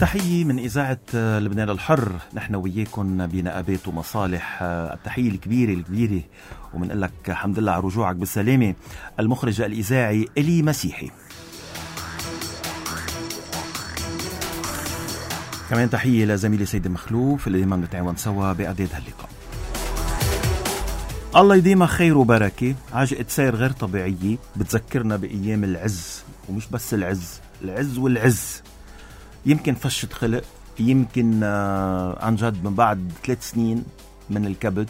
تحية من إذاعة لبنان الحر، نحن وياكم بنقابات ومصالح. التحية الكبيرة ومنقول لك الحمد لله على رجوعك بالسلامة المخرج الإذاعي إلي مسيحي. كمان تحية لزميلي سيد مخلوف اللي دايما نتعاون سوا بإعداد هاللقاء. الله يديمها خير وبركة. عجقة سير غير طبيعية بتذكرنا بأيام العز، ومش بس العز والعز. يمكن فشة خلق، يمكن عن جد من بعد 3 سنين من الكبت،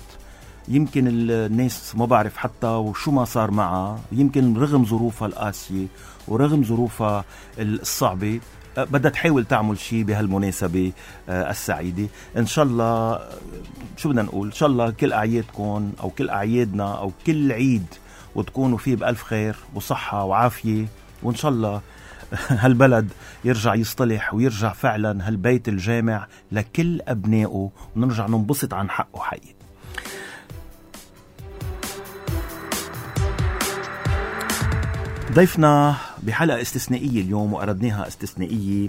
يمكن الناس ما بعرف حتى وشو ما صار معها، يمكن رغم ظروفها القاسية ورغم ظروفها الصعبة بدها تحاول تعمل شيء بهالمناسبة السعيدة. إن شاء الله شو بدنا نقول، إن شاء الله كل أعيادكم أو كل أعيادنا أو كل عيد وتكونوا فيه بألف خير وصحة وعافية، وإن شاء الله هالبلد يرجع يصطلح ويرجع فعلا هالبيت الجامع لكل أبنائه ونرجع ننبسط عن حقه حقيقي. ضيفنا بحلقة استثنائية اليوم وأردناها استثنائية،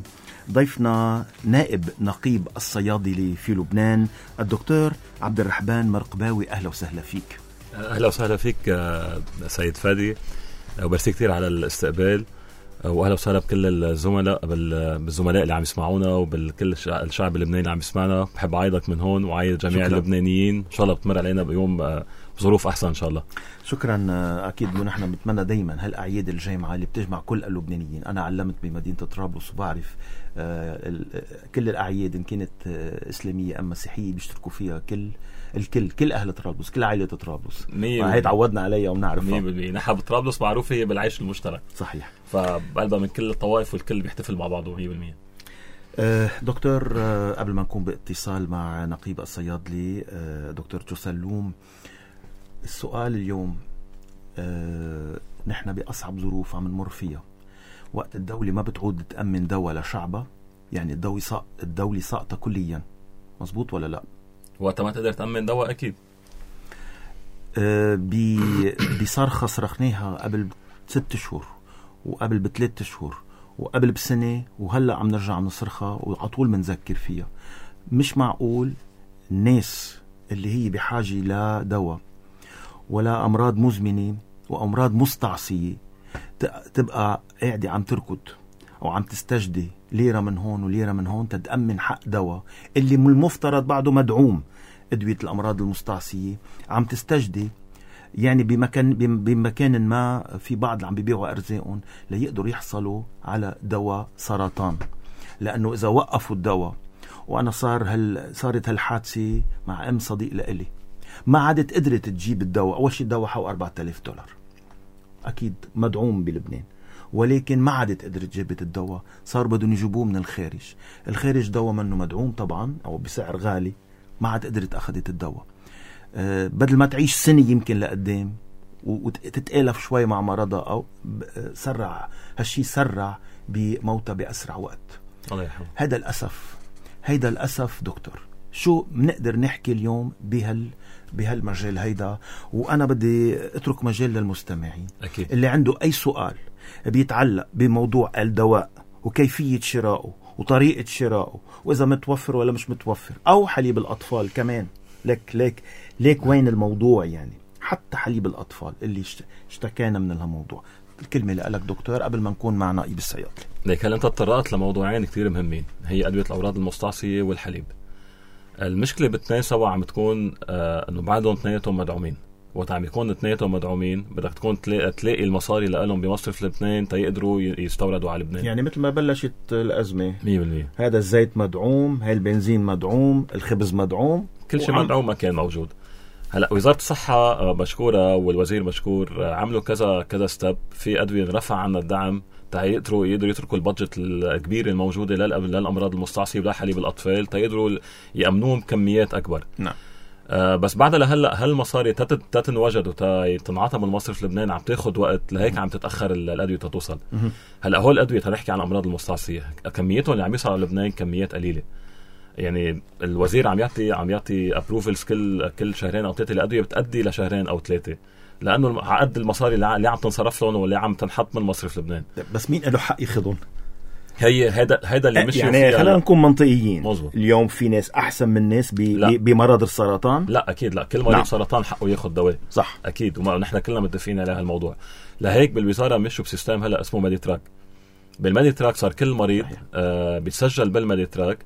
ضيفنا نائب نقيب الصيادلة في لبنان الدكتور عبد الرحمن مرقباوي. أهلا وسهلا فيك. أهلا وسهلا فيك سيد فادي، وبرسي كتير على الاستقبال، واهلا وسهلا بكل الزملاء بالزملاء اللي عم يسمعونا وبالكل الشعب اللبناني اللي عم يسمعنا. بحب اعيدك من هون وعيد جميع اللبنانيين، ان شاء الله بتمر علينا بيوم بظروف احسن ان شاء الله. شكرا. اكيد ونحن بنتمنى دايما هالاعياد الجامعه اللي بتجمع كل اللبنانيين. انا علمت بمدينه طرابلس وبعرف كل الاعياد ان كانت اسلاميه ام مسيحيه بيشتركوا فيها كل اهل طرابلس، كل عائله طرابلس. هي تعودنا عليها ونعرفها 100%. نحن بطرابلس معروفه هي بالعيش المشترك. صحيح. فبقلبها من كل الطوائف والكل بيحتفل مع بعضه 100%. دكتور، قبل ما نكون باتصال مع نقيب الصيادلي دكتور جوسلوم، السؤال اليوم نحن بأصعب ظروف عم نمر فيها، وقت الدولة ما بتعود تأمن دواء لشعبها، يعني الدولة ساقطة كليا، مزبوط ولا لا؟ وقت ما تقدر تأمن دواء أكيد. بصرخة صرخناها قبل 6 شهور وقبل ب3 شهور وقبل بسنة، وهلأ عم نرجع نصرخها وعطول منذكر فيها. مش معقول الناس اللي هي بحاجة لدواء ولا أمراض مزمنة وأمراض مستعصية تبقى قاعدة عم تركض أو عم تستجدي ليرة من هون وليرة من هون تتأمن حق دواء اللي من المفترض بعده مدعوم. أدوية الأمراض المستعصية عم تستجدي يعني بمكان ما في بعض اللي عم بيبيعوا أرزاقهم ليقدروا يحصلوا على دواء سرطان، لأنه إذا وقفوا الدواء. وأنا صارت هالحادثة مع أم صديق لإلي، ما عادت قدرت تجيب الدواء. أول شيء الدواء حو $4000 أكيد مدعوم بلبنان، ولكن ما عادت قدرت جابت الدواء. صار بدهم يجيبوه من الخارج دواء منه مدعوم طبعا أو بسعر غالي، ما عاد قدرت أخذت الدواء. بدل ما تعيش سنة يمكن لقدام وتتألف شوي مع مرضها أو هالشي سرع بموتها بأسرع وقت. الله يرحمه. هيدا الأسف دكتور. شو بنقدر نحكي اليوم بهالمجال هيدا؟ وأنا بدي أترك مجال للمستمعين أكيد. اللي عنده أي سؤال بيتعلق بموضوع الدواء وكيفية شرائه وطريقة شرائه وإذا متوفر ولا مش متوفر، أو حليب الأطفال كمان. ليك وين الموضوع؟ يعني حتى حليب الأطفال اللي اشتكينا من هالموضوع. الكلمة لك دكتور قبل ما نكون مع نائب الصيادلة. ليك هل أنت تطرقت لموضوعين كتير مهمين، هي أدوية الأمراض المستعصية والحليب. المشكلة بالتنين سوا عم تكون أنه بعدهم اثنيناتهم مدعومين. وقت عم يكون اثنيناتهم مدعومين بدك تكون تلاقي المصاري لهم بمصرف لبنان تيقدروا يستوردوا على لبنان. يعني مثل ما بلشت الأزمة 100%. هذا الزيت مدعوم، هاي البنزين مدعوم، الخبز مدعوم، كل شيء مدعوم ما كان موجود. هلا وزارة الصحة مشكورة والوزير مشكور، عملوا كذا ستيب في أدوية رفع عنا الدعم يقدروا يتركوا البادجت الكبير الموجودة للأمراض المستعصية ولا حليب الأطفال تيقدروا يأمنوهم كميات أكبر. نعم. بس بعد لهلا هالمصاري تتنوجد وتنعطى من مصرف لبنان عم تاخد وقت، لهيك عم تتأخر الأدوية توصل. هلا هول الأدوية تنحكي عن الأمراض المستعصية كمياتهم اللي عم يصل على لبنان كميات قليلة. يعني الوزير عم يعطي ابروفلز كل شهرين أو 3 لأدوية بتأدي لشهرين أو 3، لأنه عقد المصاري اللي عم تنصرف لهم واللي عم تنحط من مصرف لبنان. بس مين له حق ياخذهم؟ هيدا اللي مش يعني خلينا نكون منطقيين. مزبوط. اليوم في ناس احسن من ناس بمرض السرطان. لا اكيد لا، كل مريض سرطان حقه ياخذ دواء، صح اكيد، ونحن كلنا متفقين على هالموضوع. لهيك بالوزاره مشوا بسيستم هلا اسمه ميديتراك. بالميديتراك صار كل مريض بيتسجل بالميديتراك،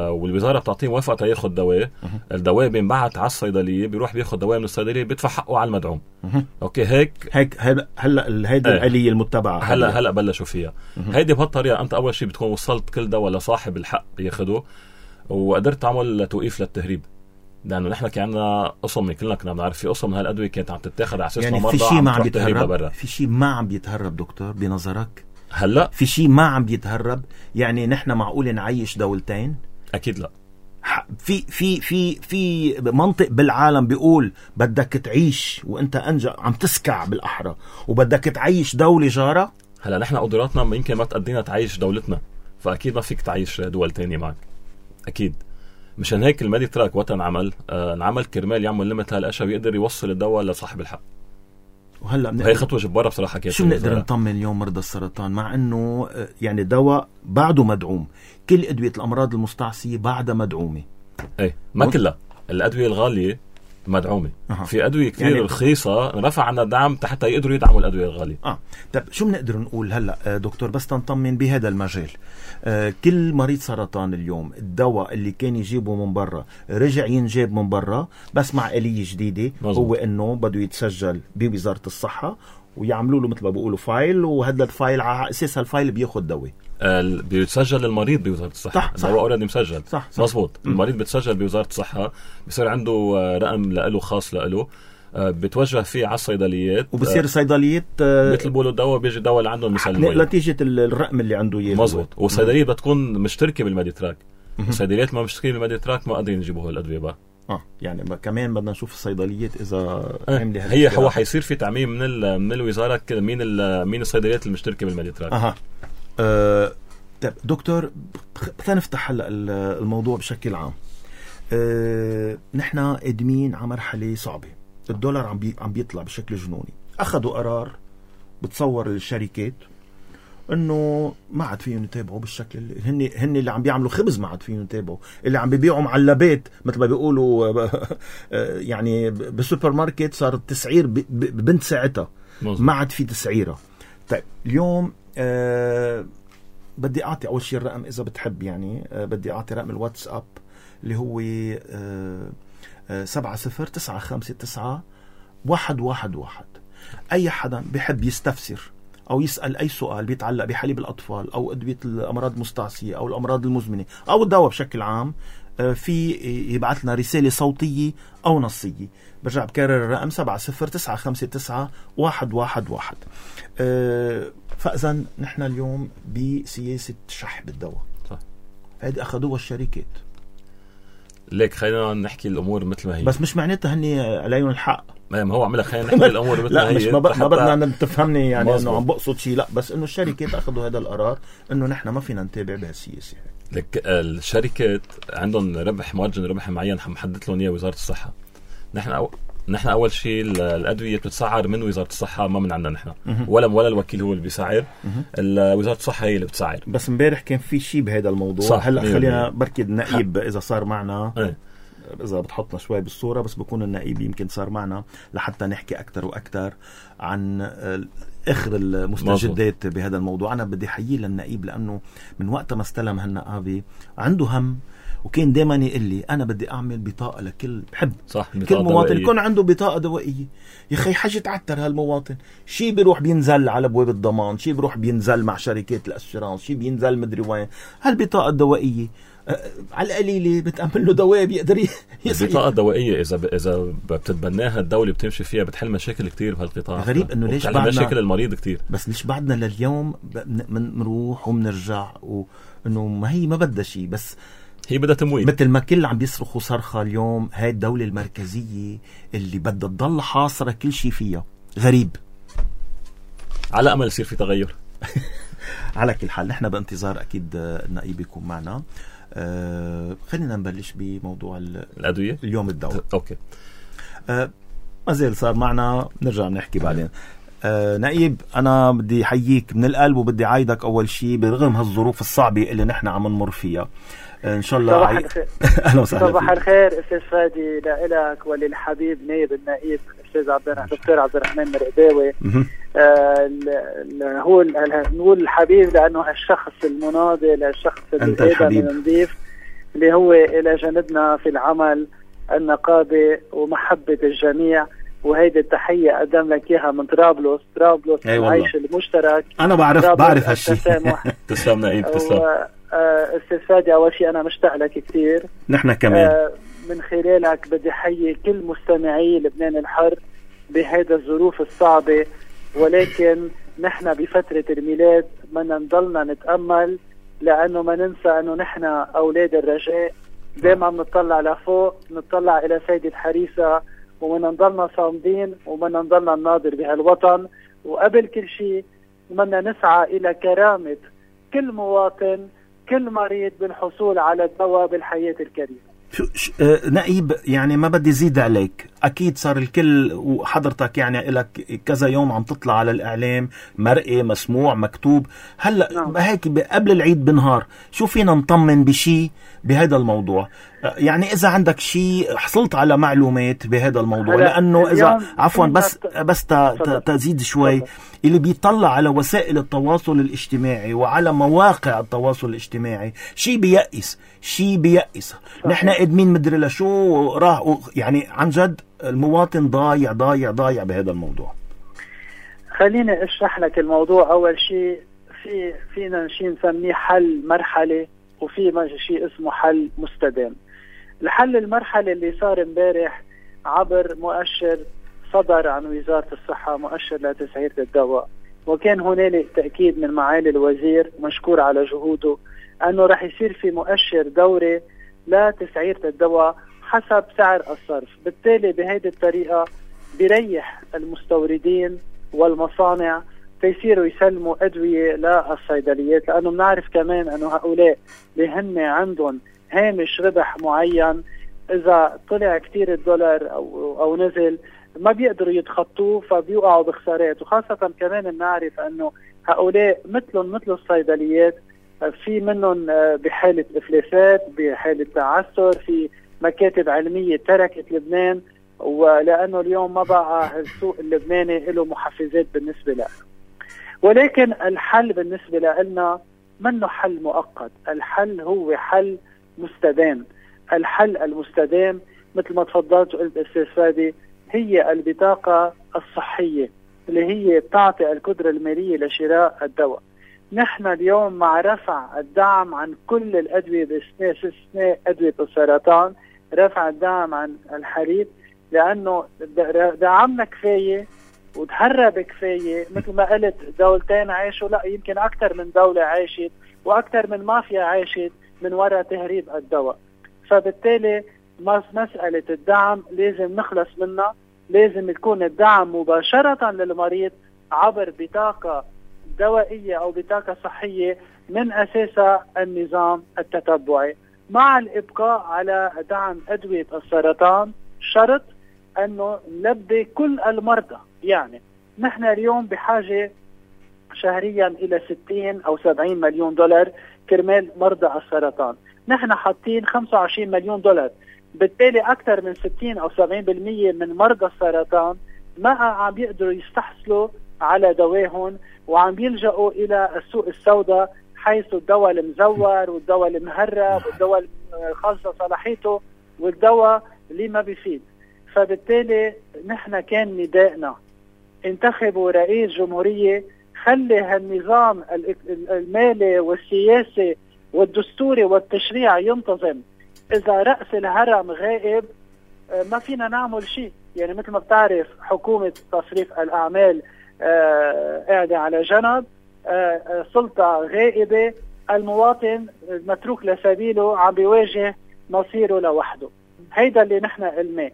والوزاره بتعطيه موافقه ياخذ دواء. الدواء بينبعت على الصيدليه، بيروح بياخذ دواء من الصيدليه، بيدفع حقه على المدعوم. اوكي هيك هلا هيدي الآلية المتبعه هلا بلشوا فيها. هيدي بهالطريقه انت اول شيء بتكون وصلت كل دواء لصاحب الحق ياخده، وقدرت تعمل توقيف للتهريب. لانه نحن كان عندنا قسم، كلنا كنا بنعرف في قسم من هالادويه كانت عم تتاخذ على اساس يعني مرضى في شيء ما عم عم يتهرب. في شيء ما عم بيتهرب دكتور بنظرك؟ هلا في شيء ما عم بيتهرب؟ يعني نحن معقول نعيش دولتين؟ اكيد لا. في منطق بالعالم بيقول بدك تعيش وانت عم تسكع بالاحرى، وبدك تعيش دولة جارة. هلا نحن قدراتنا يمكن ما تقدينا تعيش دولتنا، فاكيد ما فيك تعيش دول تانية معك، اكيد. مشان هيك الميديتراك وقت انعمل كرمال يعمل ليمت هالاشياء ويقدر يوصل الدواء لصاحب الحق. وهلا هي خطوه جباره بصراحه. كيف شو بنقدر نطمن اليوم مرضى السرطان مع انه يعني الدواء بعده مدعوم؟ كل ادويه الامراض المستعصيه بعدها مدعومه. ايه ما كلها الادويه الغاليه مدعومه. في ادويه كثير يعني رخيصه رفع عنا الدعم حتى يقدروا يدعموا الادويه الغاليه. طب شو بنقدر نقول هلا دكتور بس تنطمن بهذا المجال؟ كل مريض سرطان اليوم الدواء اللي كان يجيبه من برا رجع ينجاب من برا، بس مع آلية جديده. مزبوط. هو انه بده يتسجل بوزاره الصحه ويعملوا له مثل ما بيقولوا فايل، وهذا الفايل على اساس هالفايل بياخذ دواء. بيتسجل المريض بوزاره الصحه. الدواء اوريدي مسجل. صح. مزبوط. المريض بتسجل بوزاره الصحه، بصير عنده رقم له خاص له، بتوجه فيه على الصيدليات، وبصير الصيدليات بيطلبوا له الدواء، بيجي الدواء اللي عندهم مسلمين نتيجه الرقم اللي عنده اياه. مزبوط. والصيدليه بتكون مشتركه بالميديتراك. الصيدليات ما مشتركين بالميديتراك ما قادرين يجيبوا هالادويه بقى. يعني كمان بدنا نشوف الصيدليات اذا هو حيصير في تعميم من الوزاره مين الصيدليات المشتركه بالميديتراك. طيب دكتور بدنا نفتح هلا الموضوع بشكل عام. نحن قادمين على مرحله صعبه، الدولار عم بيطلع بشكل جنوني. اخذوا قرار بتصور الشركات انه ما عاد فيهم يتابعوا بالشكل اللي هن اللي عم بيعملوا خبز، ما عاد فيهم يتابعوا، اللي عم بيبيعوا معلبات مثل ما بيقولوا يعني بالسوبر ماركت صار التسعير ببنت ساعتها، ما عاد في تسعيره. طيب اليوم بدي اعطي اول شيء الرقم اذا بتحب، يعني بدي اعطي رقم الواتساب اللي هو 70959111. اي حدا بيحب يستفسر او يسأل اي سؤال بيتعلق بحليب الاطفال او ادوية الامراض المستعصية او الامراض المزمنة او الدواء بشكل عام، في يبعث لنا رسالة صوتية او نصية. برجع بكرر الرقم 70959111. فاذا نحن اليوم بسياسة سحب الدواء، هذه اخذوها الشركات. ليك خلينا نحكي الامور مثل ما هي، بس مش معناتها هني عليهم الحق. ما هو عملها خلينا نحكي الامور مثل ما هي. لا مش ما بدنا تفهمني يعني انه عم بقصد شيء، لا بس انه الشركات اخذوا هذا القرار انه نحن ما فينا نتابع بهالسياسه. لك الشركات عندهم مارجن ربح معين محدد لهم اياه وزاره الصحه. نحن اول شيء الادويه بتتسعر من وزاره الصحه، ما من عندنا نحن، ولا الوكيل هو اللي بيسعر، وزاره الصحه هي اللي بتسعر. بس امبارح كان في شيء بهذا الموضوع. هلا خلينا بركي النقيب اذا صار معنا إذا بتحطنا شوي بالصورة، بس بكون النقيب يمكن صار معنا لحتى نحكي أكتر وأكتر عن آخر المستجدات بهذا الموضوع. أنا بدي حيي للنقيب لأنه من وقت ما استلم هالنقابة عنده هم، وكان دائما يقول لي أنا بدي أعمل بطاقة لكل بحب كل مواطن يكون عنده بطاقة دوائية. يا أخي حاجة تعتر هالمواطن، شي بيروح بينزل على بواب الضمان، شي بيروح بينزل مع شركات الأسيرانس، شي بينزل مدري وين. هالبطاقة الدوائية على القليلة بتأمن له دواء بيقدر يسعي. البطاقة الدوائية إذا بتتبناها الدولة بتمشي فيها بتحل مشاكل كتير بهالقطاع. غريب إنه ليش بعدنا مشاكل المريض كتير، بس ليش بعدنا لليوم بنروح وبنرجع، وإنه ما هي ما بدها شيء، بس هي بدها تمويل. مثل ما كل عم بيصرخوا صرخة اليوم، هاي الدولة المركزية اللي بدها تضل حاصرة كل شيء فيها. غريب. على أمل يصير في تغير. على كل حال نحن بانتظار أكيد النقيب يكون معنا. خلينا نبلش بموضوع الأدوية اليوم الدواء. أوكي. ما زال صار معنا، نرجع نحكي بعدين. نائب، أنا بدي حييك من القلب وبدي عايدك أول شيء برغم هالظروف الصعبة اللي نحن عم نمر فيها. إن شاء الله صباح الخير. أهلا وسهلا. صباح الخير أستاذ فادي لإلك وللحبيب نائب النائب الأستاذ دكتور عبد الرحمن مرقداوي. هو نقول الحبيب لأنه هالشخص المناضل، هالشخص النظيف اللي هو إلى جانبنا في العمل، النقابة ومحبة الجميع. وهيدي التحية أقدم لك إياها من طرابلس العيش المشترك. أنا بعرف هالشيء. تسلم نائب، تسلم. أستاذ فادي، أول شيء أنا مشتاق لك كثير. نحن كمان. من خلالك بدي حيي كل مستمعي لبنان الحر بهيدا الظروف الصعبة، ولكن نحن بفترة الميلاد بدنا نضلنا نتأمل، لأنه ما ننسى أنه نحن أولاد الرجاء. دائما نطلع لفوق، نطلع إلى سيدة حريصة، ومن نضلنا صامدين ومن نضلنا نناظر بهالوطن. وقبل كل شيء بدنا نسعى إلى كرامة كل مواطن، كل مريض بالحصول على الدواء بالحياة الكريمة. نائب، يعني ما بدي زيد عليك، أكيد صار الكل وحضرتك يعني لك كذا يوم عم تطلع على الإعلام مرئي مسموع مكتوب. هلأ هيك قبل العيد بنهار شو فينا نطمن بشي بهذا الموضوع؟ يعني إذا عندك شيء حصلت على معلومات بهذا الموضوع، لأنه إذا عفوا بس تزيد شوي، اللي بيطلع على وسائل التواصل الاجتماعي وعلى مواقع التواصل الاجتماعي شيء بيأس. نحن قدمين مدري لشو راح، يعني عن جد المواطن ضايع بهذا الموضوع. خليني اشرح لك الموضوع. أول شيء فينا شيء نسميه حل مرحلة، وفي شيء اسمه حل مستدام. الحل المرحلة اللي صار امبارح عبر مؤشر صدر عن وزارة الصحة، مؤشر لتسعيرة الدواء، وكان هنالك تأكيد من معالي الوزير مشكور على جهوده أنه رح يصير في مؤشر دوري لتسعيرة الدواء حسب سعر الصرف. بالتالي بهذه الطريقة بيريح المستوردين والمصانع تيصيروا يسلموا أدوية للصيدليات، لأنه بنعرف كمان أنه هؤلاء اللي هن عندهم هامش ربح معين، إذا طلع كتير الدولار أو نزل ما بيقدروا يتخطوه، فبيوقعوا بخسارات. وخاصة كمان بنعرف أنه هؤلاء مثل الصيدليات في منهم بحالة إفلاسات، بحالة تعثر، في مكاتب علمية تركت لبنان، ولأنه اليوم ما بقى السوق اللبناني له محفزات بالنسبة له. ولكن الحل بالنسبة لنا منه حل مؤقت، الحل هو حل مستدام. الحل المستدام مثل ما تفضلت وقلت أستاذ فادي هي البطاقة الصحية اللي هي بتعطي القدرة المالية لشراء الدواء. نحن اليوم مع رفع الدعم عن كل الأدوية باستثناء أدوية السرطان، رفع الدعم عن الحريق، لأنه دعمنا كفاية وتهرب كفاية. مثل ما قلت دولتين عاشوا، لا يمكن أكثر من دولة عاشت وأكثر من مافيا عاشت من وراء تهريب الدواء. فبالتالي مسألة الدعم لازم نخلص منها، لازم يكون الدعم مباشرة للمريض عبر بطاقة دوائية أو بطاقة صحية من أساسها النظام التتبعي، مع الإبقاء على دعم أدوية السرطان، شرط أنه نلبي كل المرضى. يعني نحن اليوم بحاجة شهريا إلى 60 أو 70 مليون دولار كرمال مرضى السرطان، نحن حاطين 25 مليون دولار. بالتالي أكثر من 60 أو 70% من مرضى السرطان ما عم بيقدروا يستحصلوا على دواهم، وعم بيلجأوا إلى السوق السوداء، حيث الدواء المزور والدواء المهرب والدواء الخاصة صلاحيته والدواء اللي ما بيفيد. فبالتالي نحن كان ندائنا انتخبوا رئيس جمهورية، خلي هالنظام المالي والسياسي والدستوري والتشريع ينتظم. إذا رأس الهرم غائب ما فينا نعمل شيء. يعني مثل ما بتعرف حكومة تصريف الأعمال قاعدة على جنب، سلطة غائبة، المواطن متروك لسبيله عم بيواجه مصيره لوحده. هيدا اللي نحن قلناه.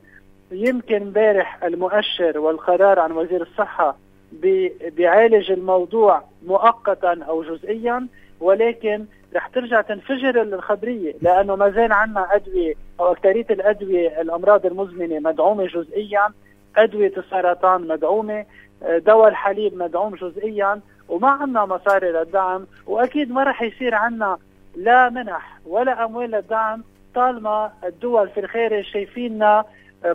يمكن امبارح المؤشر والقرار عن وزير الصحة بيعالج الموضوع مؤقتا أو جزئيا، ولكن رح ترجع تنفجر الخبرية، لأنه ما زال عنا أدوية أو أكترية الأدوية الأمراض المزمنة مدعومة جزئيا، أدوية السرطان مدعومة، دواء الحليب مدعوم جزئيا وما عنا مصاري للدعم، وأكيد ما رح يصير عنا لا منح ولا أموال للدعم طالما الدول في الخارج شايفيننا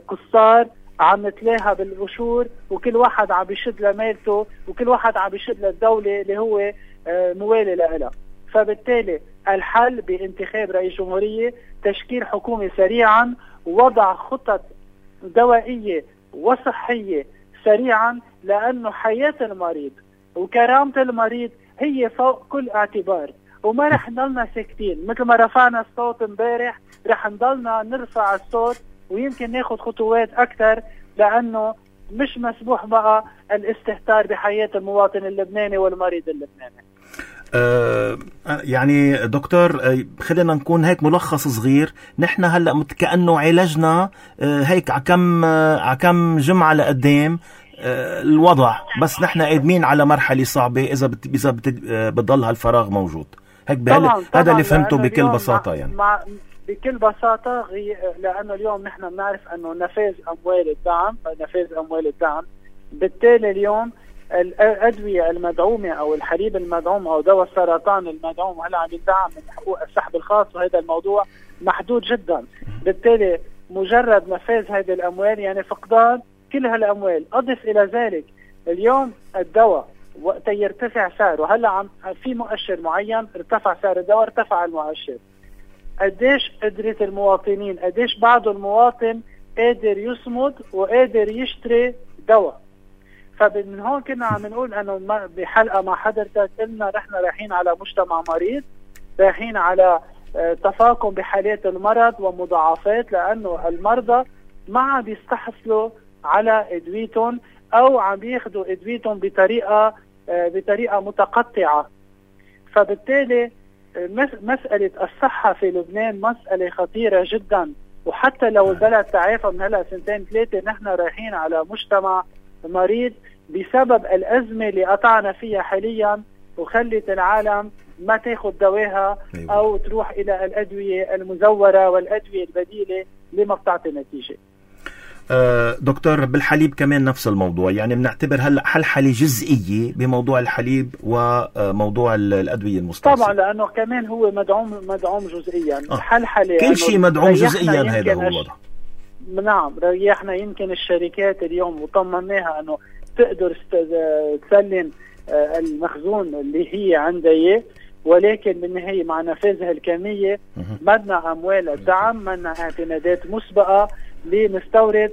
قصار عم نتلاها بالقشور، وكل واحد عم بيشد لمالته، وكل واحد عم بيشد للدولة اللي هو موالي لها. فبالتالي الحل بانتخاب رئيس جمهورية، تشكيل حكومة سريعا، وضع خطط دوائية وصحية سريعا، لأنه حياة المريض وكرامة المريض هي فوق كل اعتبار، وما رح نضلنا ساكتين. مثل ما رفعنا الصوت امبارح رح نضلنا نرفع الصوت، ويمكن ناخد خطوات أكثر، لأنه مش مسموح بقى الاستهتار بحياة المواطن اللبناني والمريض اللبناني. يعني دكتور، خلينا نكون هيك ملخص صغير. نحن هلأ كأنه علاجنا هيك عكم جمعة لقدام الوضع، بس نحن قادمين على مرحلة صعبة إذا بتضل هالفراغ موجود. هيك هذا اللي فهمته بكل بساطة. يعني بكل بساطة، لأنه اليوم نحن بنعرف أنه نفاذ أموال الدعم، بالتالي اليوم الأدوية المدعومة أو الحليب المدعوم أو دواء السرطان المدعوم هلا عم يدعم من حقوق السحب الخاص، وهذا الموضوع محدود جدا. بالتالي مجرد نفاذ هذه الأموال يعني فقدان كل هالأموال. أضف إلى ذلك اليوم الدواء وقت يرتفع سعره، هلا في مؤشر معين ارتفع سعر الدواء، ارتفع المؤشر. قديش قدرة المواطنين، قديش بعض المواطن قادر يصمد وقادر يشتري دواء. فمن هون كنا عم نقول انه بحلقة مع حضرتك قلنا نحن رايحين على مجتمع مريض، رايحين على تفاقم بحالات المرض ومضاعفات، لانه المرضى ما عم بيستحصلوا على ادويتهم او عم بياخدوا ادويتهم بطريقة متقطعة. فبالتالي مسألة الصحة في لبنان مسألة خطيرة جدا، وحتى لو البلد تعافى من هلا 2-3 نحن رايحين على مجتمع مريض بسبب الأزمة اللي قطعنا فيها حاليا، وخلت العالم ما تاخد دواها أو تروح إلى الأدوية المزورة والأدوية البديلة اللي ما بتعطي نتيجة. دكتور، بالحليب كمان نفس الموضوع، يعني بنعتبر هلا حلحلة جزئية بموضوع الحليب وموضوع الأدوية المستعصية. طبعا لأنه كمان هو مدعوم جزئيا. حلحلة كل شيء مدعوم جزئيا، هذا هو الوضع. نعم، ريحنا يمكن الشركات اليوم وطمناها أنه تقدر تسلم المخزون اللي هي عندها، ولكن بالنهاية مع نفاذها الكمية بدنا أموال الدعم، بدنا اعتمادات مسبقة لنستورد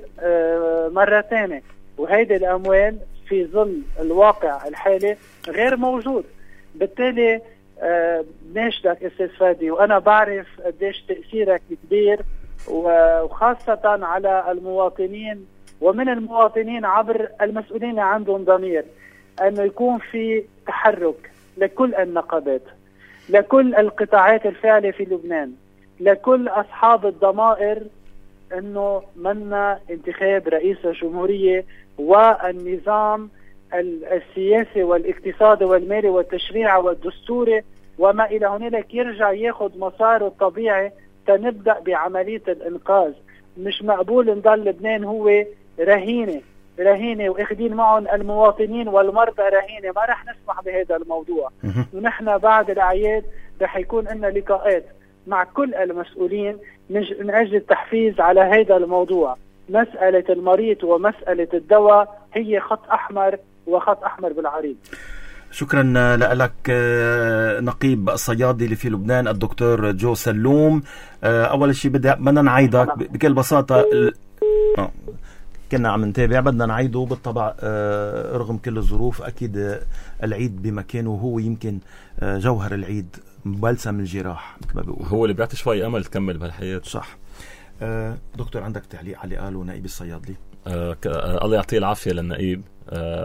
مرة ثانية، وهيدي الأموال في ظل الواقع الحالي غير موجود. بالتالي بناشدك أستاذ فادي، وأنا بعرف قديش تأثيرك كبير، وخاصة على المواطنين ومن المواطنين عبر المسؤولين اللي عندهم ضمير، أنه يكون في تحرك لكل النقابات، لكل القطاعات الفاعلة في لبنان، لكل أصحاب الضمائر، أنه منا انتخاب رئيس الجمهورية والنظام السياسي والاقتصادي والمالي والتشريعي والدستوري وما إلى هنالك يرجع ياخد مساره الطبيعي تنبدأ بعملية الإنقاذ. مش مقبول نضل لبنان هو رهينة واخدين معهم المواطنين والمرضى رهينة. ما رح نسمح بهذا الموضوع. ونحن بعد الأعياد رح يكون لنا لقاءات مع كل المسؤولين من أجل التحفيز على هذا الموضوع. مسألة المريض ومسألة الدواء هي خط أحمر وخط أحمر بالعريض. شكرا لك نقيب الصيادلة في لبنان الدكتور جو سلوم. أول شيء بدنا نعيدك بكل بساطة، كنا عم نتابع، بدنا نعيده بالطبع رغم كل الظروف. أكيد العيد بمكانه، وهو يمكن جوهر العيد بلسم الجراح مثل ما بيقول، هو اللي بيعطي شوي أمل تكمل بهالحياة. صح. دكتور، عندك تعليق على اللي قاله نائب الصيادلي؟ الله يعطيه العافية للنائب،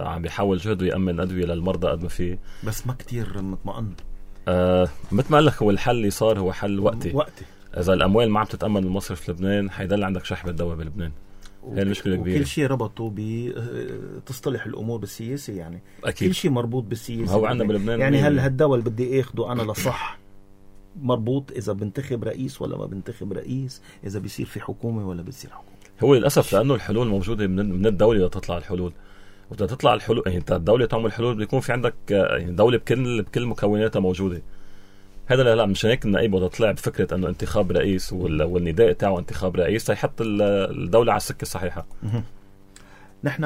عم بيحاول جهده يأمن أدوية للمرضى قد ما فيه، بس ما كتير مطمئن. مثل ما قال لك، هو الحل اللي صار هو حل وقتي. إذا الأموال ما عم تتأمن المصرف في لبنان حيضل عندك شحب الدواء بلبنان. هي المشكلة كبيرة. كل شيء ربطوا بتصطلح الأمور بالسياسة، يعني أكيد. كل شيء مربوط بالسياسة. هو عندنا بلبنان يعني هل هالدواء اللي بدي اخده أنا لصح مربوط إذا بنتخب رئيس ولا ما بنتخب رئيس، إذا بيصير في حكومة ولا بيصير حكومة. هو للأسف لأنه الحلول موجودة من الدولة لتطلع الحلول، وبدها تطلع الحلول. يعني انت الدوله تعمل حلول بيكون في عندك يعني دوله بكل مكوناتها موجوده. هذا لا مش هيك النائب وده طلع بفكره انه انتخاب رئيس والنداء تاعه انتخاب رئيس يحط الدوله على السكه الصحيحه. نحن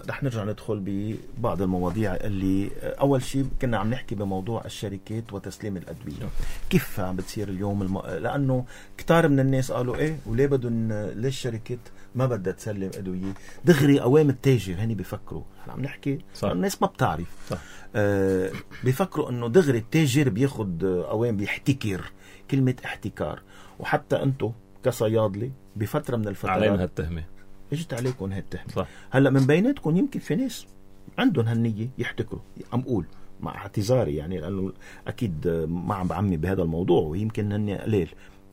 رح نرجع ندخل ببعض المواضيع اللي أول شيء كنا عم نحكي بموضوع الشركات وتسليم الأدوية. كيف عم بتصير اليوم لأنه كتار من الناس قالوا إيه وليه بدهم ليش الشركات ما بدها تسلم أدوية دغري قوام التاجر. هني بيفكروا عم نحكي الناس ما بتعرف بيفكروا إنه دغري التاجر بياخد قوام بيحتكر. كلمة احتكار وحتى أنتو كصيادلي بفترة من الفترات علينا هالتهمة اجت عليكم هالتهمة. هلا من بيناتكم يمكن في ناس عندهم هالنية يحتكروا. عم قول مع اعتذاري يعني لانه اكيد ما عم بعمي بهذا الموضوع ويمكن هني قليل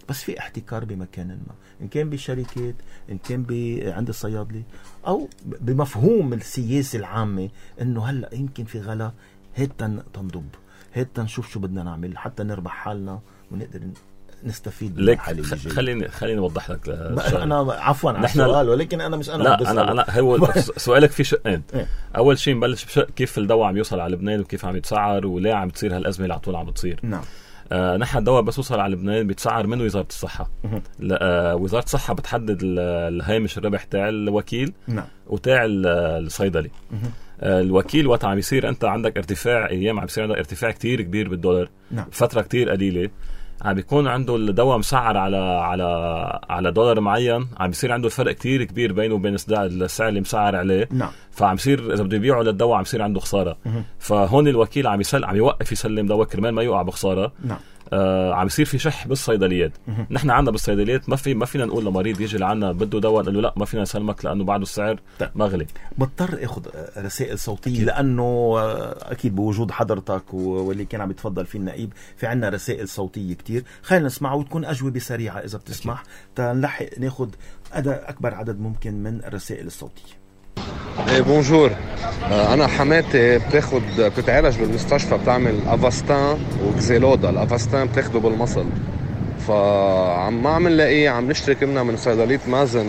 بس في احتكار بمكان ما ان كان بشركات ان كان عند الصيادلي او بمفهوم السياسة العامة انه هلا يمكن في غلا هيك تنضب هيك نشوف شو بدنا نعمل حتى نربح حالنا ونقدر نستفيد من الحالة. خليني اوضح لك انا عفوا على السؤال ولكن انا مش انا لا انا هو سؤالك في شقين. اول شيء نبلش بشق كيف الدواء عم يوصل على لبنان وكيف عم يتسعر وليه عم تصير هالازمه اللي على طول عم بتصير. نعم. نحن الدواء بس وصل على لبنان بيتسعر من وزاره الصحه. وزاره الصحه بتحدد الهامش الربح تاع الوكيل. نعم. وتاع الصيدلي. الوكيل وقت عم يصير انت عندك ارتفاع ايام عم يصير عندك ارتفاع كتير كبير بالدولار. نعم. فتره كتير قليله عم بيكون عنده الدواء مسعر على دولار معين. عم بيصير عنده الفرق كتير كبير بينه وبين السعر اللي مسعر عليه. نعم. فعم يصير اذا بده يبيعه للدواء عم يصير عنده خساره. فهون الوكيل عم يوقف يسلم دواء كرمال ما يوقع بخساره. نعم. عم يصير في شح بالصيدليات. نحن عندنا بالصيدليات ما فينا نقول لمريض يجي لعنا بده دواء نقول له لا ما فينا نسلمك لانه بعده السعر مغلي. بضطر اخذ رسائل صوتيه لانه اكيد بوجود حضرتك واللي كان عم يتفضل فيه النائب في عنا رسائل صوتيه كتير. خلينا نسمعها وتكون اجوبه سريعه اذا بتسمح تنلحق ناخذ اكبر عدد ممكن من الرسائل الصوتيه. بونجور. انا حماتي بتتعالج بالمستشفى بتعمل افاستان وكزيلودا. الافاستان بتاخده بالمصل فعم ما عم نلاقيه. عم نشتري كنا من صيدلية مازن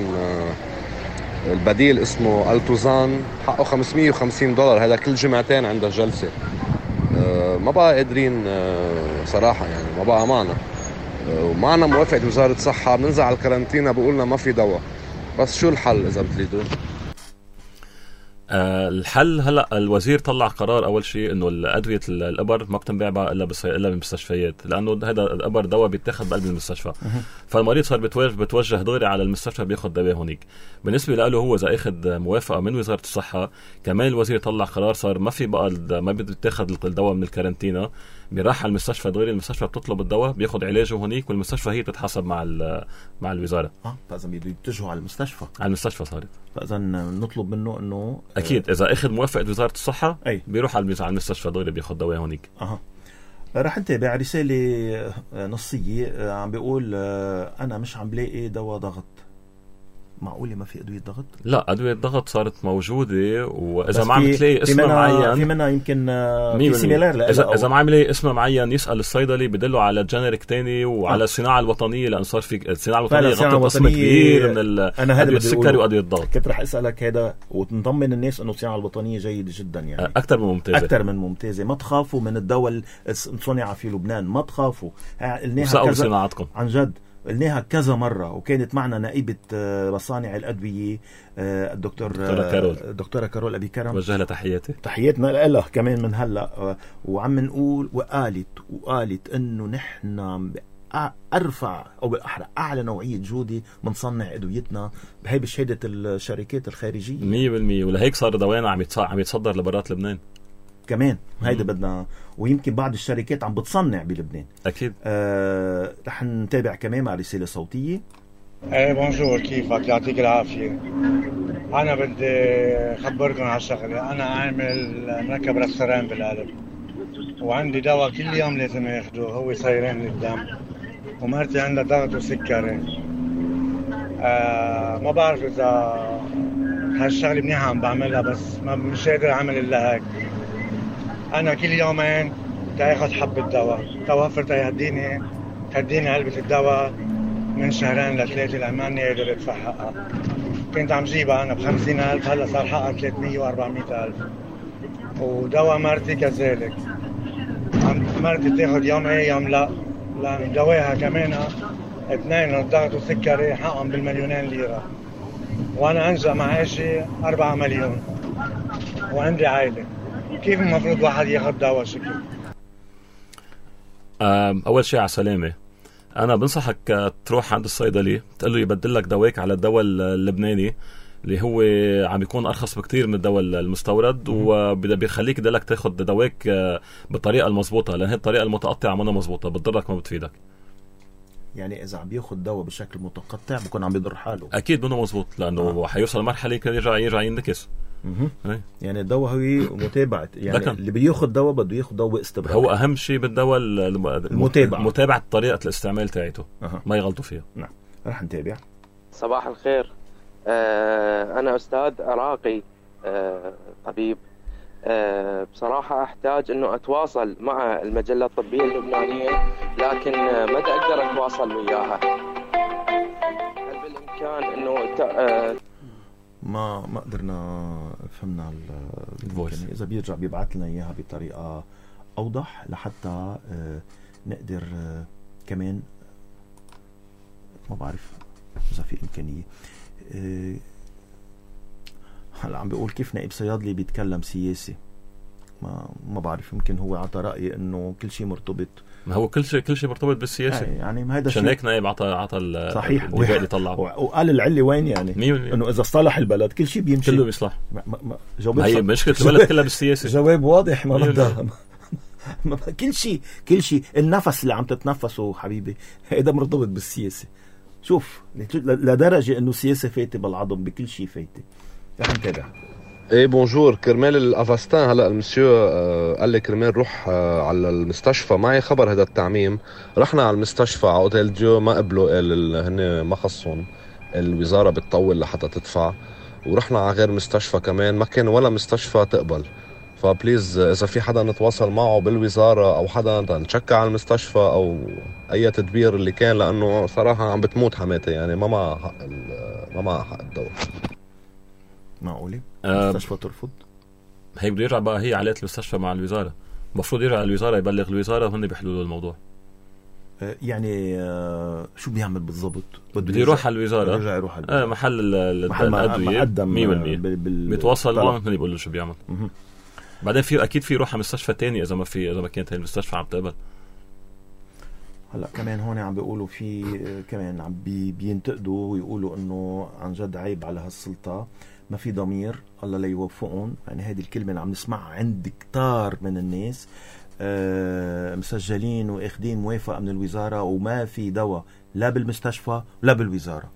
البديل اسمه التوزان حقه $550. هذا كل جمعتين عندها جلسة. ما بقى قادرين صراحة يعني ما بقى معنا ومعنا موافقة وزارة الصحة. بننزع على الكارنتينا بقولنا ما في دواء. بس شو الحل إذا بتريدوا؟ الحل هلا الوزير طلع قرار اول شيء انه الادويه الابر ما بتنباع بقى الا بالمستشفيات لانه هذا الابر دواء بيتاخذ بقلب المستشفى. فالمريض صار بتوجه دغري على المستشفى بياخذ دواء هونيك. بالنسبه له هو اذا اخذ موافقه من وزاره الصحه كمان الوزير طلع قرار صار ما في بقى ما بيتاخذ الدواء من الكارنتينا بيراح على المستشفى دغري. المستشفى بتطلب الدواء بياخذ علاجه هونيك والمستشفى هي تتحاسب مع الوزاره. فاذا بده يتجهوا على المستشفى صارت. فاذا نطلب منه انه اكيد اذا اخذ موافقه وزاره الصحه بيروح على المستشفى دغري بياخذ دواء هونيك. رح نتابع رساله نصيه عم بيقول انا مش عم بلاقي دواء ضغط. معقولة ما في أدوية ضغط؟ لا أدوية ضغط صارت موجودة وإذا ما عم تلاقي اسم معين في منها يمكن في سيميلار. إذا ما عم يلاقي اسم معين يسأل الصيدلي بدله على جنريك تاني وعلى الصناعة الوطنية لأن صار في الصناعة الوطنية غطت قسم كبير من الأدوية السكري وأدوية الضغط. كنت رح أسألك هذا وتنضمن الناس إنه الصناعة الوطنية جيدة جدا يعني أكثر من ممتازة. ما تخافوا من الدواء اللي صنع في لبنان ما تخافوا. وسألوا صناعتكم عن جد قلناها كذا مرة وكانت معنا نائبة مصانع الأدوية الدكتورة كارول أبي كرم. وجه لها تحياتنا لها كمان من هلأ. وعم نقول وقالت إنه نحن أرفع أو بالأحرى أعلى نوعية جودة بنصنع أدويتنا بهي بشهادة الشركات الخارجية 100%. ولهيك صار دوانا عم يتصدر لبرات لبنان كمان. هيدا بدنا ويمكن بعض الشركات عم بتصنع بلبنان أكيد. رح نتابع كمان مع رسالة صوتية. بونجور كيفك يعطيك العافية. أنا بدي أخبركم على شغلة. أنا عامل مركب رستوران بالقلب وعندي دواء كل يوم لازم أخده هو سيرين للدم ومرتي عندها ضغط وسكري. ما بعرف إذا هالشغلة منيحة عم بعملها بس مش قادر أعمل إلا هيك. أنا كل يومين تاخد حبة دواء توفر تهديني علبة الدواء من 2 ل3 لأماني قادر أدفع حقها. كنت عم جيبها أنا ب50,000 هلا صار حقها 300 و400,000. ودواء مرتي كذلك، مرتي بتاخد يوم يوم لا، لأن دواها كمان 2 الضغط والسكري حقهم بالمليونين ليرة، وأنا أنجأ معاشي 4 مليون وعندي عائلة. كيف المفروض واحد ياخد دواء شكل؟ أول شيء على سلامة، أنا بنصحك تروح عند الصيدلي تقول له يبدل لك دواك على الدواء اللبناني اللي هو عم يكون أرخص بكتير من الدواء المستورد، وبيخليك دلك تاخد دواك بالطريقة المضبوطة، لأن هي الطريقة المتقطعة منا مضبوطة، بتضرك ما بتفيدك. يعني إذا عم بياخد دواء بشكل متقطع بكون عم بيضر حاله. أكيد منه مضبوط، لأنه حيوصل مرحلة يرجع ينكس. يعني الدواء هو متابعة، يعني اللي بياخد دواء بده ياخد دواء استمرار. هو أهم شيء بالدواء متابعة طريقة الاستعمال تاعته، ما يغلطوا فيها. نعم، رح نتابع. صباح الخير، أنا أستاذ عراقي، طبيب. بصراحة أحتاج أنه أتواصل مع المجلة الطبية اللبنانية، لكن ما أقدر أتواصل وياها. هل بالإمكان أنه ما قدرنا فهمنا يعني إذا بيرجع بيبعث لنا إياها بطريقة أوضح لحتى نقدر كمان، ما بعرف إذا في إمكانية. هلا عم بيقول كيف نائب صيادلي بيتكلم سياسي، ما بعرف، يمكن هو عطى رأي إنه كل شيء مرتبط. ما هو كل شيء مرتبط بالسياسة، يعني ما هذا عشان هيك نائب عطى صحيح اللي طلع وقال العلة وين، يعني إنه إذا اصطلح البلد كل شيء بيمشي، كله بيصلح. هي مشكلة البلد كلها بالسياسة. جواب واضح، ما بدها كل شيء النفس اللي عم تتنفسه حبيبي هذا مرتبط بالسياسة. شوف لدرجة إنه السياسة فايتة بالعظم، بكل شيء فايتة. رح نتابع. ايه بونجور، كرمال الافاستان هلا المسيو قال لي كرمال روح على المستشفى. معي خبر هذا التعميم، رحنا على المستشفى على اوتيل ديو ما قبلوا، قال هن ما خصهم، الوزارة بتطول لحتى تدفع، ورحنا على غير مستشفى كمان ما كان ولا مستشفى تقبل. فبليز إذا في حدا نتواصل معه بالوزارة أو حدا نشكى على المستشفى أو أي تدبير اللي كان، لأنه صراحة عم بتموت حماتي، يعني ما مع حق الدواء. معقولة المستشفى ترفض؟ هي بده يرجع بقى، هي علاقة المستشفى مع الوزارة، المفروض يرجع على الوزارة يبلغ الوزارة وهن بيحلوا له الموضوع. يعني شو بيعمل بالضبط؟ بده يروح على الوزارة، يروح على محل الأدوية 100% بيتواصل معه، هن بيقول له شو بيعمل. بعدين أكيد في يروح على مستشفى تاني إذا ما كانت هاي المستشفى عم تقبل. هلا كمان هون عم بيقولوا في كمان عم بينتقدوا ويقولوا إنه عن جد عيب على هالسلطة، ما في ضمير، الله لا يوفقهم. يعني هذه الكلمة اللي عم نسمعها عند كتار من الناس، مسجلين واخدين موافقة من الوزارة وما في دواء لا بالمستشفى لا بالوزارة.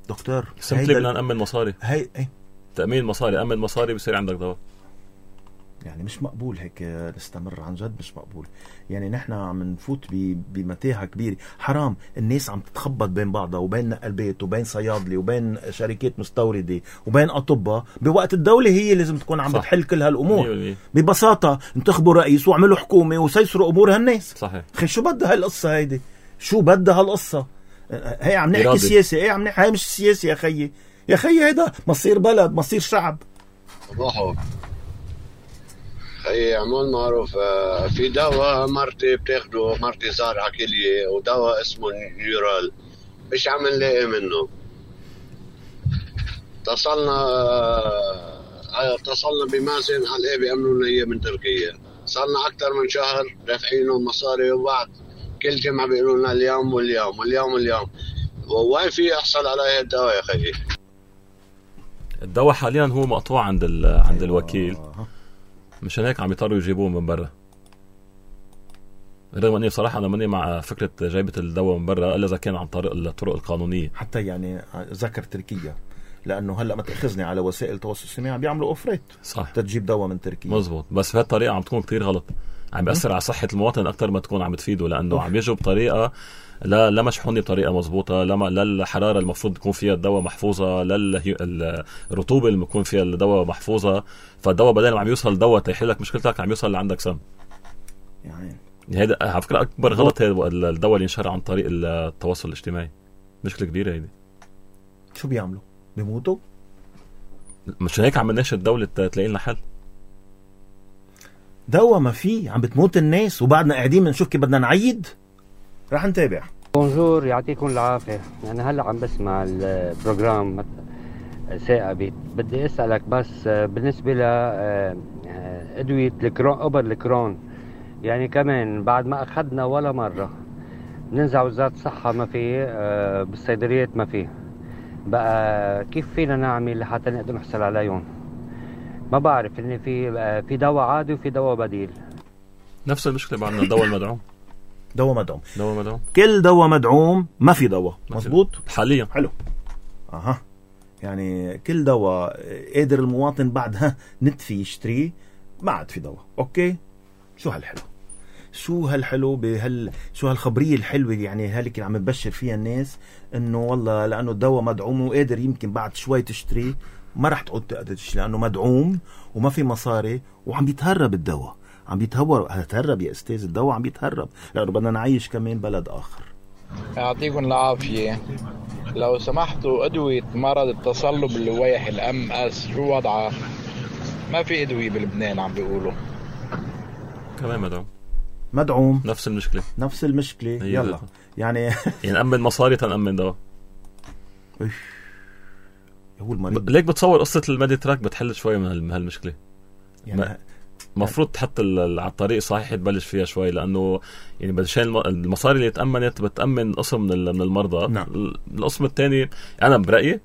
دكتور سمتلي بدنا نأمن مصاري، تأمين مصاري، أمن مصاري بصير عندك دواء. يعني مش مقبول هيك نستمر، عن جد مش مقبول. يعني نحن عم نفوت بمتاهة كبيرة، حرام الناس عم تتخبط بين بعضها وبين نقلبات وبين صيادلي وبين شركات مستوردة وبين أطباء، بوقت الدولة هي لازم تكون عم بتحل كل هالأمور. ببساطة انتخبوا رئيس واعملوا حكومة وسيسروا أمور هالناس. صحيح. خي شو بدها هالقصة هيدي؟ شو بدها هالقصة؟ هي عم نحكي سياسة، هي عم نحكي، هي مش سياسة يا خيي هيدا مصير بلد، مصير شعب. صباحو خي عمول معروف، في دواء مرتي بتاخده، مرتي صار عكلية، ودواء اسمه نيورال مش عم نلاقي منه. اتصلنا بمازن على بيعملوا لنا اياه من تركيا، صارنا اكثر من شهر دافعينهم مصاري، وبعد كل جمعة بيقولوا لنا اليوم واليوم واليوم واليوم. وين في يحصل على هذا الدواء يا خيي؟ الدواء حاليا هو مقطوع عند الوكيل، مشان هيك عم يضطروا يجيبوه من برا. رغم اني بصراحه انا ماني مع فكره جايبه الدواء من برا الا اذا كان عن طريق الطرق القانونيه. حتى يعني ذكر تركيا، لانه هلا ما تاخذني على وسائل التواصل الاجتماعي عم بيعملوا اوفريت صح تجيب دواء من تركيا. مزبوط، بس بهالطريقه عم تكون كتير غلط، عم بيأثر على صحه المواطن اكثر ما تكون عم تفيده، لانه عم يجوا بطريقه لا مشحونه بطريقه مزبوطه، لا الحراره المفروض تكون فيها الدواء محفوظه، لا الرطوبه اللي بيكون فيها الدواء محفوظه. فالدواء بدل ما عم يوصل دواء تيحل لك مشكلتك عم يوصل لعندك سم. يعني هذا على فكره اكبر غلط، هذا الدواء اللي ينشر عن طريق التواصل الاجتماعي مشكله كبيره هيدي. شو بيعملوا؟ بيموتوا. مش هيك عم نناشد الدولة تلاقي لنا حل. دواء ما فيه، عم بتموت الناس وبعدنا قاعدين بنشوف كيف بدنا نعيد. رح نتابع. بونجور، يعطيكم العافية. أنا هلأ عم بسمع البروجرام ثاقبت. بدي أسألك بس بالنسبة لأدوية أوبر الكرون، يعني كمان بعد ما أخذنا ولا مرة ننزع وزارة الصحة ما فيه، بالصيدليات ما فيه، بقى كيف فينا نعمل لحتى نقدر نحصل عليهم؟ ما بعرف إن في دواء عادي وفي دواء بديل. نفس المشكلة بعدنا الدواء المدعوم. دواء مدعوم. دواء مدعوم. كل دواء مدعوم ما في دواء. مزبوط حاليا. حلو. يعني كل دواء قادر المواطن بعدها ندفي يشتريه، ما عاد في دواء. اوكي، شو هالحلو، شو هالحلو شو هالخبرية الحلوة يعني هالك اللي عم تبشر فيها الناس انه والله لانه الدواء مدعوم وقادر يمكن بعد شوي تشتريه، ما رح تعود تقدر تشتري لانه مدعوم وما في مصاري وعم بيتهرب الدواء. عم بيتهرب يا استاذ، الدواء عم بيتهرب لانه بدنا نعيش كمان بلد اخر. يعطيكم العافية. لو سمحتوا أدوية مرض التصلب اللويحي MS شو وضعها؟ ما في أدوية بلبنان عم بيقولوا. كمان مدعوم. نفس المشكلة. يلا يعني نأمن مصاري تنأمن دواء. هو المريض ليك بتصور قصة الميدي تراك بتحل شوي من هالمشكلة. يعني مفروض تحط على الطريق صحيح تبلش فيها شوي، لأنه يعني بدشان المصاري اللي تأمنت بتأمن قسم من المرضى. نعم. القسم الثاني أنا برأيي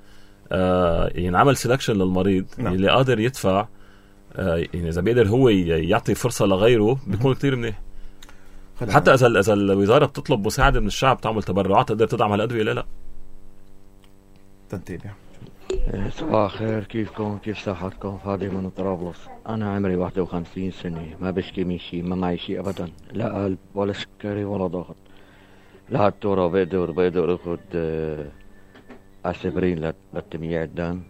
يعني عمل سيلكشن للمريض. نعم. اللي قادر يدفع يعني إذا بيقدر هو يعطي فرصة لغيره بيكون كتير منيح. حتى إذا الوزارة بتطلب مساعدة من الشعب تعمل تبرعات تقدر تدعم هالأدوية. لا تنتبه. صباح خير، كيفكم؟ كيف صحتكم؟ فادي من طرابلس. أنا عمري 51 سنة، ما بشكي من شيء، ما معي شيء أبدا، لا قلب ولا سكري ولا ضغط. لهالتورة بقدر أخذ أسبرين لتمييع الدم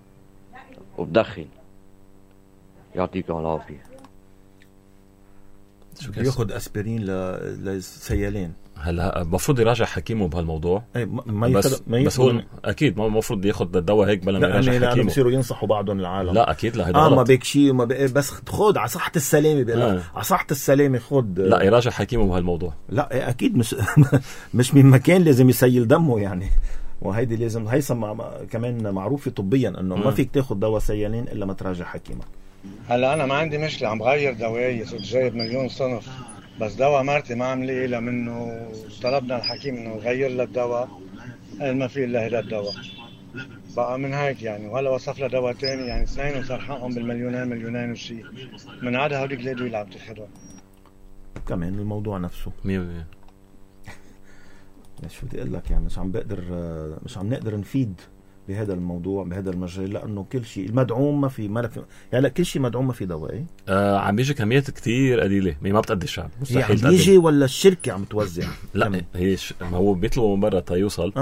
وبدخن. يعطيكم العافية. ياخذ أسبرين للسيالين. هلا المفروض يراجع حكيمه بهالموضوع. بس هو اكيد ما المفروض ياخذ الدواء هيك بلا ما يراجع حكيمه. لانه بصيروا ينصحوا بعضهم العالم. لا اكيد لا ما بيك شيء بس خذ على صحة السلامة بيقول على صحة السلامة خذ. لا يراجع حكيمه بهالموضوع. لا اكيد مش من مكان لازم يسيل دمه يعني. وهيدي لازم كمان معروفة طبيا انه ما فيك تاخذ دواء سيالين الا ما تراجع حكيمك. هلا انا ما عندي مشكلة، عم غير دوايي، صرت جايب مليون صنف، بس دواء مرتي ما عم لي الا منه. طلبنا الحكيم انه يغير لها الدواء، قال ما في الا هذا الدواء بقى من هيك يعني. وهلا وصف لها دواء ثاني يعني اثنين وصار حقهم مليونين وشيء من عدا هوديك الادويه اللي عم تاخذها. كمان الموضوع نفسه 100%. شو بدي اقول لك يعني مش عم نقدر نفيد بهذا الموضوع بهذا المجال، لانه كل شيء المدعوم ما في يعني كل شيء مدعوم ما في دواء. عم بيجي كميات كتير قليله ما بتقدي الشعب. مستحيل يعني يجي ولا الشركه عم توزع. لا هي ما هو بيطلبوا من برا تيوصل.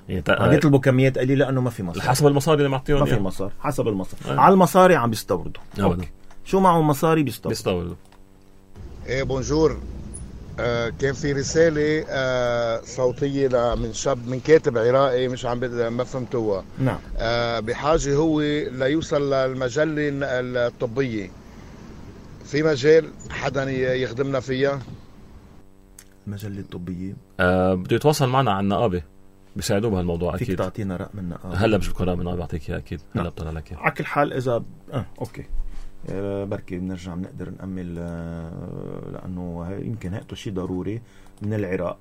يعني عم بيطلبوا كميات قليله لانه ما في مصاري. حسب المصاري اللي معطيهم ما في مصاري حسب المصاري. على المصاري عم بيستوردوا. شو معهم مصاري بيستوردوا. ايه بونجور. كان في رسالة صوتية من شاب من كاتب عراقي مش ما فهمتوها. نعم. بحاجة هو ليوصل للمجلة الطبية. في مجال حدا يخدمنا فيها؟ المجلة الطبية بده يتواصل معنا عن النقابة بيساعدوه بهالموضوع. أكيد فيك تعطينا رقم من النقابة؟ هلا مش بكون رقم من النقابة بعطيك إياه أكيد. هلا بطلع لك على كل حال إذا أوكي بركي بنرجع بنقدر نأمل لأنه يمكن هاتوا شيء ضروري من العراق.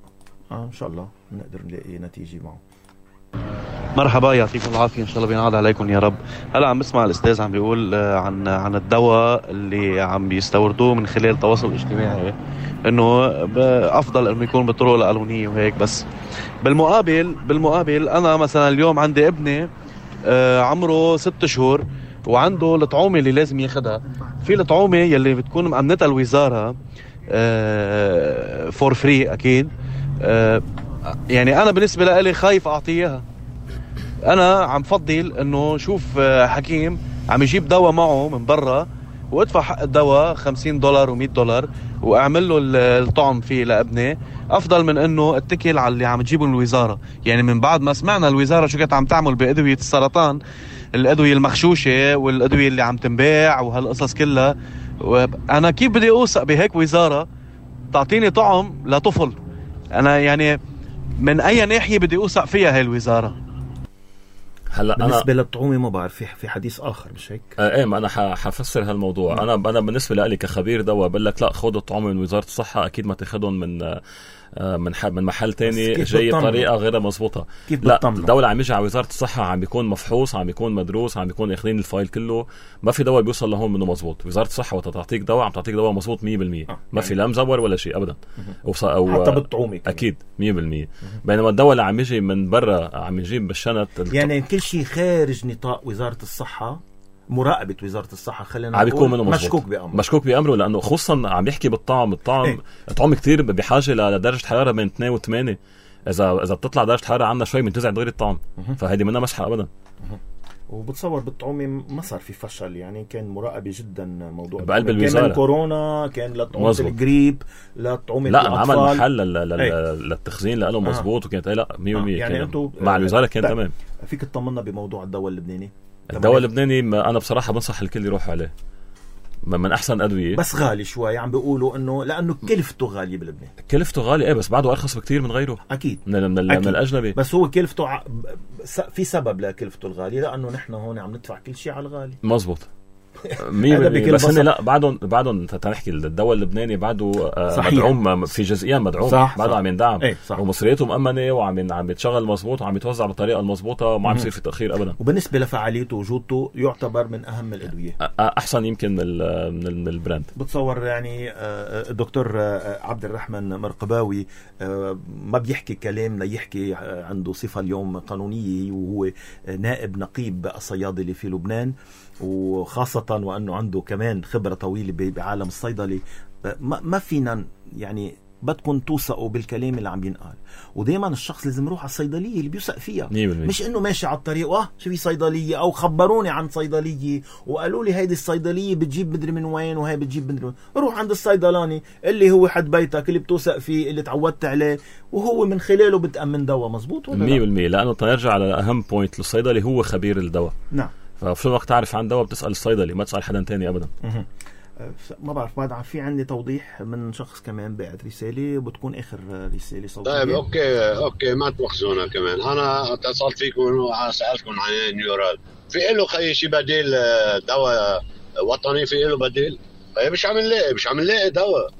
إن شاء الله بنقدر نلاقي نتيجة معه. مرحبا، يعطيكم العافية، إن شاء الله بينعاد عليكم يا رب. هلا عم بسمع الأستاذ عم بيقول عن الدواء اللي عم بيستوردوه من خلال التواصل الاجتماعي إنه أفضل إنه يكون بالطرق القانونية وهيك. بس بالمقابل أنا مثلا اليوم عندي ابني عمره 6 شهور وعنده الطعومة اللي لازم ياخدها. في الطعومة يلي بتكون مأمنتها الوزارة فور فري أكيد. يعني أنا بالنسبة لي خايف أعطيها. أنا عم فضل إنه شوف حكيم عم يجيب دواء معه من برا وادفع حق الدواء $50 و$100 واعمل له الطعم فيه لابني، افضل من انه اتكل على اللي عم تجيبه من الوزاره. يعني من بعد ما سمعنا الوزاره شو كانت عم تعمل بادويه السرطان، الادويه المخشوشه والادويه اللي عم تنباع وهالقصص كلها، انا كيف بدي اوثق بهيك وزاره تعطيني طعم لطفل؟ انا يعني من اي ناحيه بدي اوثق فيها هاي الوزاره؟ هلا بالنسبه للطعومه ما بعرف في حديث اخر مش هيك؟ ايه ما انا حفسر هالموضوع. انا بالنسبه لي كخبير دواء بقول لك لا، خذ الطعومه من وزاره الصحه، اكيد ما تاخذهم من محل تاني جاي بطريقه غير مزبوطه. لا، الدوله عم يجي على وزاره الصحه، عم بيكون مفحوص، عم بيكون مدروس، عم بيكون اخذين الفايل كله. ما في دواء بيوصل لهون منه مزبوط. وزاره الصحه وقت تعطيك دواء عم تعطيك دواء مزبوط 100%. ما في لا مزور ولا شيء ابدا، او حتى بالطعومه اكيد 100%. بينما الدواء اللي عم يجي من برا عم يجيب بالشنط يعني كل شيء خارج نطاق وزاره الصحه، مراقبة وزارة الصحة، خلينا نقول مشكوك بأمره لأنه خصوصا عم يحكي بالطعم. الطعم كتير بحاجة لدرجة حرارة بين 2 و 8. إذا بتطلع درجة حرارة عنا شوي من تزعل دغري الطعم، فهيدي منها مسحة أبدا. وبتصور بالطعومة ما صار في فشل، يعني كان مراقبة جدا موضوع بقلب الوزارة. كان كورونا، كان لطعومة الجريب، لطعومة لا عمل محل للتخزين لقاله مزبوط، وكانت لا 100% يعني انتو مع الوزارة كان تمام. فيك تطمنا بموضوع الدواء اللبناني؟ الدواء اللبناني انا بصراحه بنصح الكل يروح عليه، من احسن ادويه، بس غالي شوي. عم بيقولوا انه لانه كلفته غاليه بلبنان. كلفته غالي ايه، بس بعده ارخص بكتير من غيره اكيد من الاجنبي. بس هو كلفته في سبب لكلفته الغاليه، لانه نحن هون عم ندفع كل شيء على الغالي. مظبوط 100%. بس هن لا بعدهم تنحكي الدواء اللبناني بعده مدعوم في جزئيا، مدعوم بعده عم يندعم، ومصرياته مؤمنه وعم يتشغل مظبوط وعم يتوزع بالطريقه المظبوطه وما عم يصير في تاخير ابدا. وبالنسبه لفعاليته وجودته يعتبر من اهم الادويه، احسن يمكن من البراند. بتصور يعني الدكتور عبد الرحمن مرقباوي ما بيحكي كلام ليحكي، عنده صفه اليوم قانونيه، وهو نائب نقيب الصيادله في لبنان، وخاصة وأنه عنده كمان خبرة طويلة بعالم الصيدلي. ما فينا يعني بدكم توثقوا بالكلام اللي عم ينقال، ودايما الشخص لازم يروح على الصيدلية اللي بيوثق فيها، مش انه ماشي على الطريق شو في صيدلية، او خبروني عن صيدلية وقالوا لي هيدي الصيدلية بتجيب مدري من وين وهي بتجيب مدري من وين. روح عند الصيدلاني اللي هو حد بيتك، اللي بتوثق فيه، اللي تعودت عليه، وهو من خلاله بتأمن دواء مزبوط ولا 100%. لأنه تنرجع على أهم بوينت، للصيدلي هو خبير الدواء. نعم. ففي وقت تعرف عن دواء بتسأل الصيدلي، ما تسأل حدا تاني أبدا. ما بعرف، بعد في عندي توضيح من شخص كمان بعت رسالة، وبتكون آخر رسالة صوتية. طيب أوكي ما توخزونا كمان. أنا اتصلت فيكم وسألتكم عن نيورال، في له خي شي بديل دواء وطني؟ في له بديل؟ مش عم نلاقي دواء.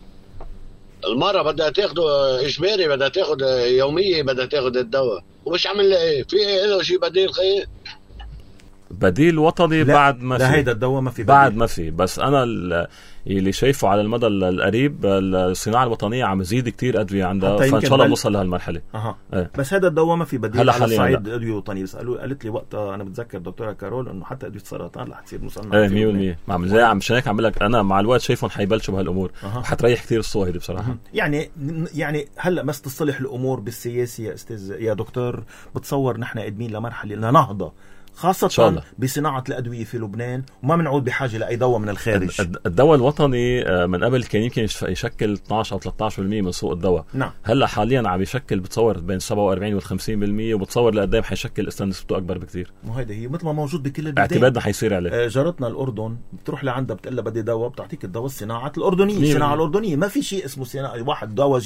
المرة بدها تاخده إجباري، بدها تاخد يومية، بدها تاخد الدواء، ومش عم نلاقي في له شي بديل خي؟ بديل وطني بعد ما في. لا هيدا الدواء ما في بديل. بعد ما في. بس انا اللي شايفه على المدى القريب الصناعه الوطنيه عم تزيد كتير ادويه عندها، فان شاء الله نوصل لهالمرحله. ايه. بس هذا الدواء ما في بديل على الصعيد ادويه وطنيه. بس قالت لي وقتها، انا بتذكر دكتوره كارول، انه حتى ادويه السرطان رح تصير مصنعه. ايه 100%. مشان هيك عم لك انا مع الوقت شايفهم حيبلشوا بهالامور، وحتريح كتير الصوت هيدي بصراحه. يعني هلا بس تصلح الامور بالسياسه يا استاذ يا دكتور، بتصور نحن قادمين لمرحله لنهضه خاصة بصناعة الأدوية في لبنان، وما بنعود بحاجة لأي دواء من الخارج. الدواء الوطني من قبل كان يمكن يشكل 12 أو 13% من سوق الدواء. نعم. هلا حاليا عم يشكل بتصور بين 47 و 50%، وبتصور لقدام حيشكل نسبته أكبر بكثير. وهيدا هي مثل ما موجود بكل البلدان. اعتمادنا حيصير عليه. جارتنا الأردن بتروح لعندها بتقول لها بدي دواء، بتعطيك الدواء الصناعة الأردنية. الصناعة الأردنية ما في شيء اسمه صناعة واحد دواء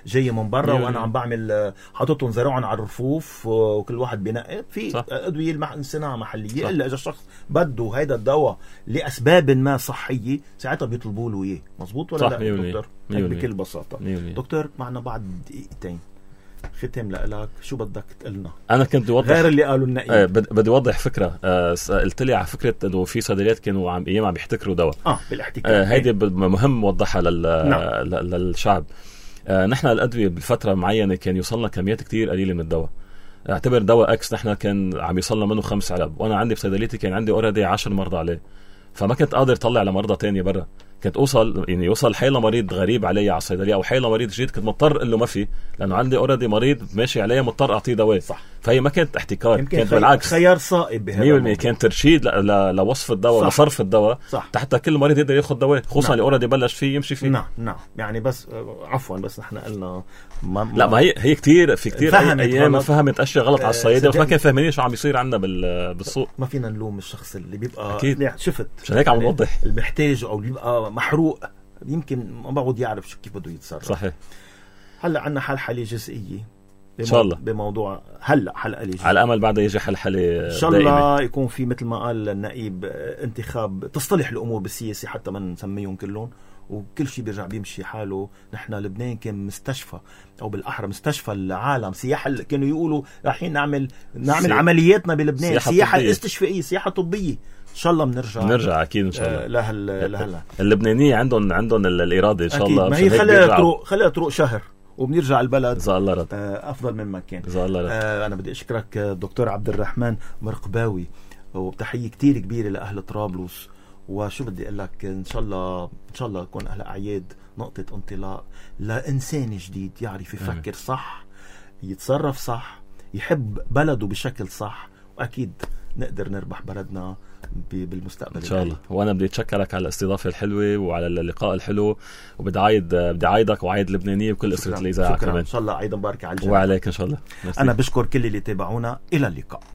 جاي من برا وأنا عم بعمل حاططهم زرعهم على الرفوف وكل واحد بينقي. في أدوية صناعة محلية، إلا إذا الشخص بده هيدا الدواء لأسباب ما صحية ساعتها بيطلبوا له إياه. مظبوط ولا لا دكتور؟ بكل بساطة. دكتور معنا بعد دقيقتين ختم لك، شو بدك تقلنا؟ أنا كنت أوضح غير اللي قالوا النقيب. بدي أوضح فكرة. قلت لي على فكرة إنه في صيدليات كانوا عم بيحتكروا دواء. بالاحتكار. هيدي مهم وضحها للشعب. نحن الأدوية بفترة معينة كان يوصلنا كميات كتير قليلة من الدواء. اعتبر دواء اكس نحن كان عم يصلنا منه 5 علب، وانا عندي بصيدليتي كان عندي اوريدي 10 مرضى عليه، فما كنت قادر اطلع لمرضى تاني برا. كنت يوصل حيلا مريض غريب علي على الصيدليه، او حيلا مريض جديد كنت مضطر اقول له ما في، لانه عندي اوريدي مريض ماشي عليه مضطر اعطيه دواء. فهي ما كانت احتكار، كانت بالعكس خيار صائب بهذا 100%. كان ترشيد لوصف الدواء لصرف الدواء حتى كل مريض يقدر ياخذ دواء، خصوصا اللي اوريدي بلش فيه يمشي فيه. نعم يعني بس عفوا بس نحن قلنا لا ما هي كتير في كتير ايام فهمت اشياء غلط على الصيادة، بس ما كان فاهمين شو عم يصير عندنا بالسوق. ما فينا نلوم الشخص اللي بيبقى أكيد. شفت عشان هيك عم نوضح المحتاج او اللي بيبقى محروق يمكن ما بعود يعرف كيف بده يتصرف. صحيح. هلا عنا حلحله جزئيه ان شاء الله بموضوع هلا حلقه جزئيه، على امل بعد يجي حلحله ان شاء الله يكون في مثل ما قال النائب انتخاب تصطلح الامور بالسياسه حتى ما نسميهم كلهم وكل شيء بيرجع بيمشي حاله. نحن لبنان كان مستشفى او بالاحرى مستشفى العالم، سياحه كانوا يقولوا رايحين نعمل عملياتنا بلبنان سياحه استشفائيه، سياحه طبيه. ان شاء الله بنرجع اكيد ان شاء الله لهلا اللبنانيين عندهم الاراده ان شاء الله. ما هي خليها تروق شهر وبنرجع البلد جزاه الله رد افضل مما كان. جزاه الله رد. انا بدي اشكرك دكتور عبد الرحمن مرقباوي، وبتحيه كتير كبيره لاهل طرابلس. وشو بدي اقول لك، ان شاء الله يكون اهل اعياد نقطه انطلاق لانسان جديد يعرف يفكر صح، يتصرف صح، يحب بلده بشكل صح، واكيد نقدر نربح بلدنا بالمستقبل ان شاء الله. وانا بدي اتشكرك على الاستضافه الحلوه وعلى اللقاء الحلو، وبدي عايدك وعايد لبنانيه وكل اسره الاذاعه كمان. ان شاء الله عيد مبارك على الجميع وعليك ان شاء الله. انا بشكر كل اللي تابعونا، الى اللقاء.